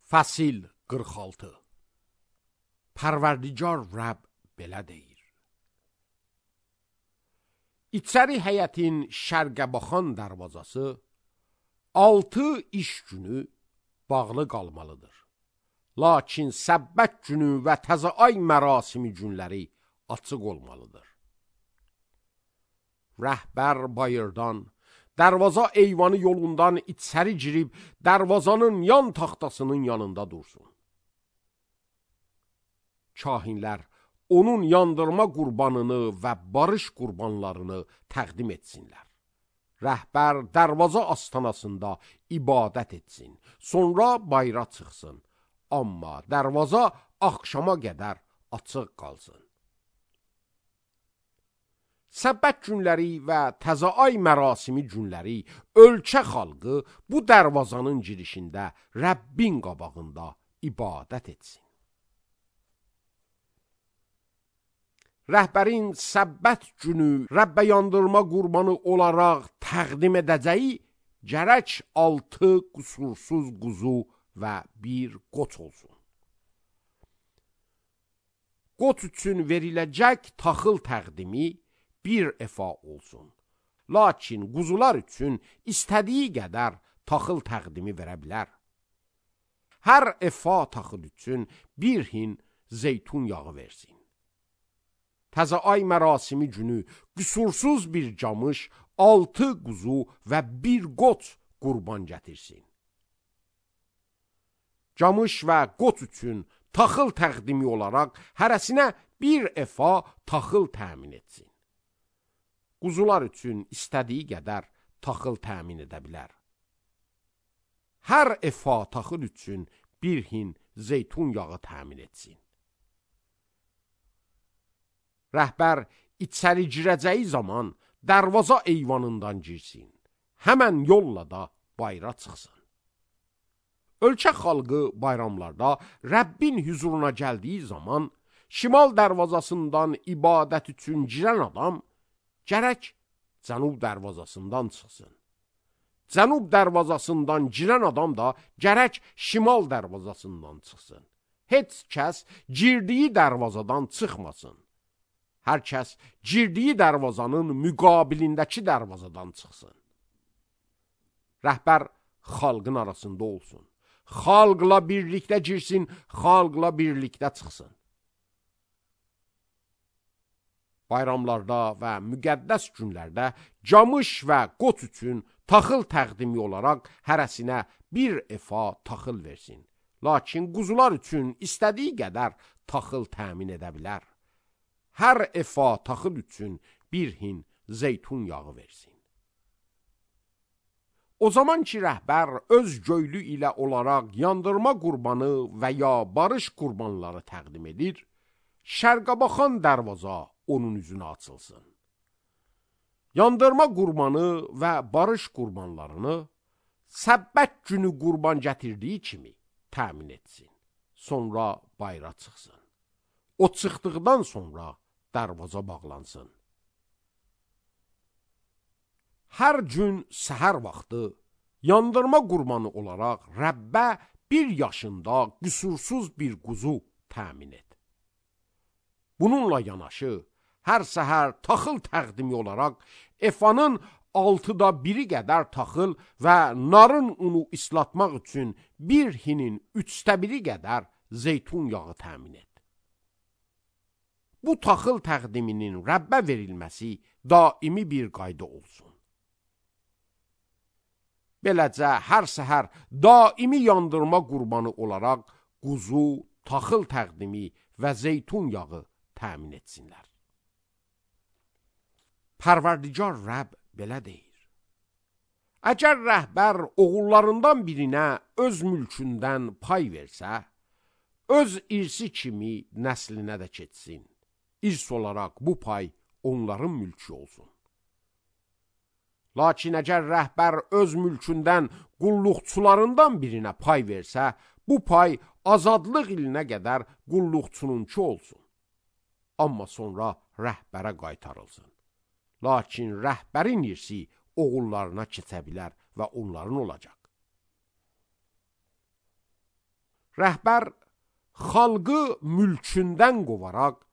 Fəsil 46. Pərverdigar Rəbb belə deyir. İçəri həyətin şərqə baxan dərvazası 6 iş günü bağlı qalmalıdır. Lakin səbbət günü və təzə ay mərasimi günləri açıq olmalıdır. Rəhbər bayırdan, dərvaza eyvanı yolundan içəri girib, dərvazanın yan taxtasının yanında dursun. Kahinlər onun yandırma qurbanını və barış qurbanlarını təqdim etsinlər. Rəhbər dərvaza astanasında ibadət etsin, sonra bayra çıxsın. Amma dərvaza axşama qədər açıq qalsın. Səbbət günləri və təzə ay mərasimi günləri ölkə xalqı bu dərvazanın girişində Rəbbin qabağında ibadət etsin. Rəhbərin səbbət günü Rəbbə yandırma qurbanı olaraq təqdim edəcəyi gərək 6 qüsursuz quzu və 1 qoç olsun. Qoç üçün veriləcək taxıl təqdimi 1 efa olsun. Lakin quzular üçün istədiyi qədər taxıl təqdimi verə bilər. Hər efa taxıl üçün 1 hin zeytun yağı versin. Təzə ay mərasimi günü qüsursuz bir camış, 6 quzu və 1 qoç qurban gətirsin. Camış və qoç üçün taxıl təqdimi olaraq hərəsinə 1 efa taxıl təmin etsin. Quzular üçün istədiyi qədər taxıl təmin edə bilər. Hər efa taxıl üçün 1 hin zeytun yağı təmin etsin. Rəhbər içəri girəcəyi zaman dərvaza eyvanından girsin. Həmən yolla da bayra çıxsın. Ölkə xalqı bayramlarda Rəbbin huzuruna gəldiyi zaman şimal dərvazasından ibadət üçün girən adam gərək cənub dərvazasından çıxsın. Cənub dərvazasından girən adam da gərək şimal dərvazasından çıxsın. Heç kəs girdiyi dərvazadan çıxmasın. Hər kəs girdiyi dərvazanın müqabilindəki dərvazadan çıxsın. Rəhbər xalqın arasında olsun. Xalqla birlikdə girsin, xalqla birlikdə çıxsın. Bayramlarda və müqəddəs günlərdə camış və qoç üçün taxıl təqdimi olaraq hərəsinə 1 efa taxıl versin. Lakin quzular üçün istədiyi qədər taxıl təmin edə bilər. Hər efa taxıl üçün 1 hin zeytun yağı versin. O zaman ki, rəhbər öz göylü ilə olaraq yandırma qurbanı və ya barış qurbanları təqdim edir, şərqə baxan dərvaza onun üzünə açılsın. Yandırma qurbanı və barış qurbanlarını səbbət günü qurban gətirdiyi kimi təmin etsin. Sonra bayra çıxsın. O çıxdıqdan sonra dərvaza bağlansın. Hər gün səhər vaxtı yandırma qurbanı olaraq Rəbbə 1 yaşında qüsursuz bir quzu təmin et. Bununla yanaşı, hər səhər taxıl təqdimi olaraq efanın 6da 1-i qədər taxıl və narın unu islatmaq üçün 1 hinin 3də 1-i qədər zeytun yağı təmin et. Bu taxıl təqdiminin Rəbbə verilməsi daimi bir qayda olsun. Beləcə, hər səhər daimi yandırma qurbanı olaraq quzu, taxıl təqdimi və zeytun yağı təmin etsinlər. Pərverdigar Rəbb belə deyir. Əgər rəhbər oğullarından birinə öz mülkündən pay versə, öz irsi kimi nəslinə də keçsin. İrs olaraq bu pay onların mülkü olsun. Lakin əgər rəhbər öz mülkündən qulluqçularından birinə pay versə, bu pay azadlıq ilinə qədər qulluqçununki olsun. Amma sonra rəhbərə qaytarılsın. Lakin rəhbərin irsi oğullarına keçə bilər və onların olacaq. Rəhbər xalqı mülkündən qovaraq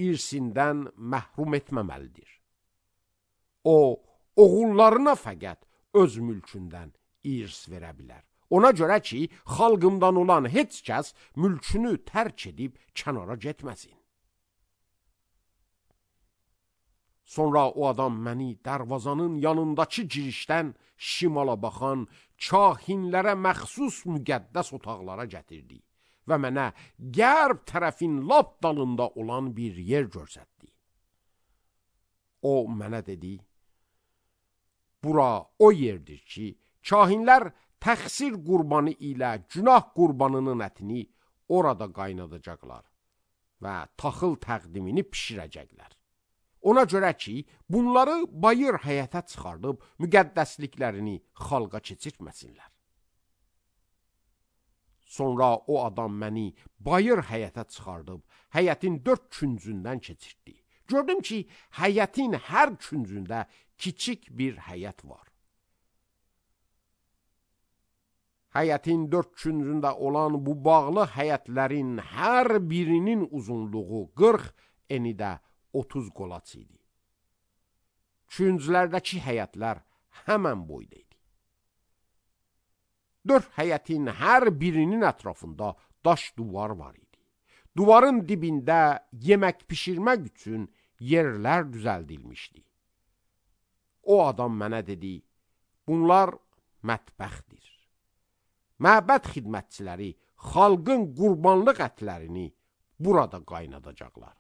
irsindən məhrum etməməlidir. O, oğullarına fəqət öz mülkündən irs verə bilər. Ona görə ki, xalqımdan olan heç kəs mülkünü tərk edib kənara getməsin. Sonra o adam məni darvazanın yanındakı girişdən şimala baxan kahinlərə məxsus müqəddəs otaqlara gətirdi və mənə qərb tərəfin lap dalında olan bir yer göstərdi. O mənə dedi, bura o yerdir ki, kahinlər təqsir qurbanı ilə günah qurbanının ətini orada qaynadacaqlar və taxıl təqdimini pişirəcəklər. Ona görə ki, bunları bayır həyətə çıxardıb müqəddəsliklərini xalqa keçirtməsinlər. Sonra o adam məni bayır həyətə çıxardıb həyətin 4 küncündən keçirtdi. Gördüm ki, həyətin hər küncündə kiçik bir həyət var. Həyətin 4 küncündə olan bu bağlı həyətlərin hər birinin uzunluğu 40, eni də 30 qolaç idi. Künclərdəki həyətlər həmən boyda idi. 4 həyətin hər birinin ətrafında daş duvar var idi. Duvarın dibində yemək pişirmək üçün yerlər düzəldilmişdi. O adam mənə dedi, bunlar mətbəxdir. Məbəd xidmətçiləri xalqın qurbanlıq ətlərini burada qaynadacaqlar.